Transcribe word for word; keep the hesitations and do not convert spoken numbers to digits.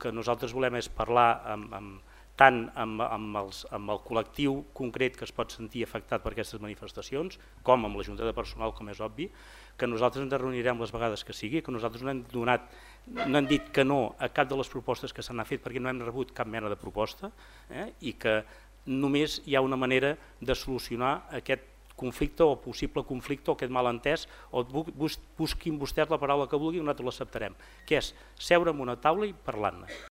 que nosaltres volem és parlar amb, amb, tant amb, amb, els, amb el col·lectiu concret que es pot sentir afectat per aquestes manifestacions, com amb la Junta de Personal, com és obvi, que nosaltres ens reunirem les vegades que sigui, que nosaltres no hem, donat, no hem dit que no a cap de les propostes que s'han fet perquè no hem rebut cap mena de proposta, eh? I que només hi ha una manera de solucionar aquest conflicte o possible conflicte o aquest malentès, o busquin vostès la paraula que vulguin i nosaltres l'acceptarem, que és seure en una taula i parlar-ne.